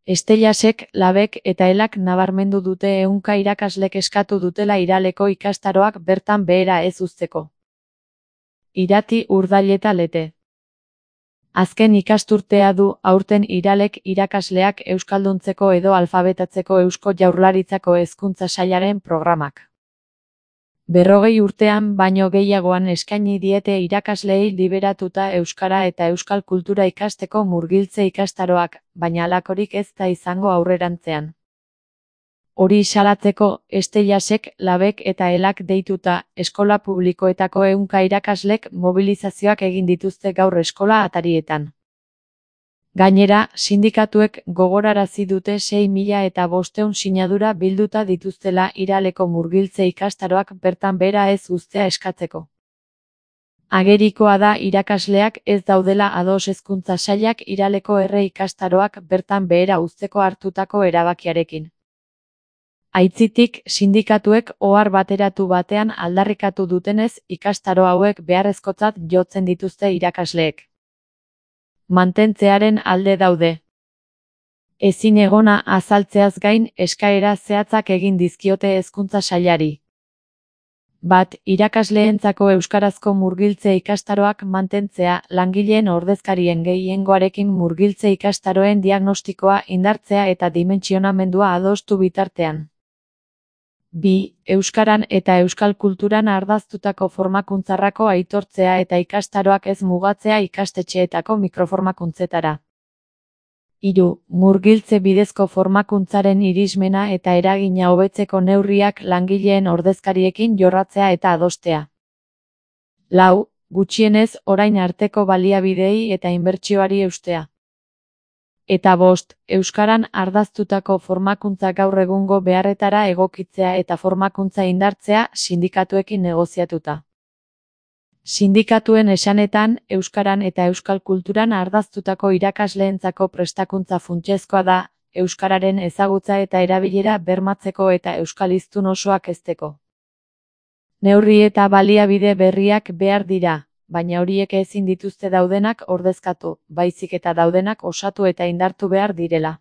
Estellasek, Labek eta Elak nabarmendu dute ehunka irakaslek eskatu dutela Iraleko ikastaroak bertan behera ez uzteko. Irati, Urdail eta Lete. Azken ikasturtea du aurten Iralek irakasleak euskalduntzeko edo alfabetatzeko Eusko Jaurlaritzako Hezkuntza Sailaren programak. 40 urtean baino gehiagoan eskaini diete irakasleei liberatuta euskara eta euskal kultura ikasteko murgiltze ikastaroak, baina halakorik ez da izango aurrerantzean. Hori salatzeko, Estellasek, Labek eta Elak deituta, eskola publikoetako ehunka irakaslek mobilizazioak egin dituzte gaur eskola atarietan. Gainera, sindikatuek gogorarazi dute 6.500 sinadura bilduta dituztela Iraleko murgiltze ikastaroak bertan behera ez uztea eskatzeko. Agerikoa da irakasleak ez daudela ados Hezkuntza Sailak Iraleko erre ikastaroak bertan behera uzteko hartutako erabakiarekin. Aitzitik, sindikatuek ohar bateratu batean aldarrikatu dutenez ikastaro hauek beharrezkotzat jotzen dituzte irakasleek. Mantentzearen alde daude. Ezin egona azaltzeaz gain eskaera zehatzak egin dizkiote Hezkuntza Sailari. 1. Irakasleentzako euskarazko murgiltze ikastaroak mantentzea, langileen ordezkarien gehiengoarekin murgiltze ikastaroen diagnostikoa indartzea eta dimentsionamendua adostu bitartean. 2. Euskaran eta euskal kulturan ardaztutako formakuntzarako aitortzea eta ikastaroak ez mugatzea ikastetxeetako mikroformakuntzetara. 3. Murgiltze bidezko formakuntzaren irismena eta eragina hobetzeko neurriak langileen ordezkariekin jorratzea eta adostea. 4. Gutxienez orain arteko baliabideei eta inbertsioari eustea. Eta 5. Euskaran ardaztutako formakuntza gaur egungo beharretara egokitzea eta formakuntza indartzea sindikatuekin negoziatuta. Sindikatuen esanetan, euskaran eta euskal kulturan ardaztutako irakasleentzako prestakuntza funtsezkoa da, euskararen ezagutza eta erabilera bermatzeko eta euskal hiztun osoak hezteko. Neurri eta baliabide berriak behar dira, baina horiek ezin dituzte daudenak ordezkatu, baizik eta daudenak osatu eta indartu behar direla.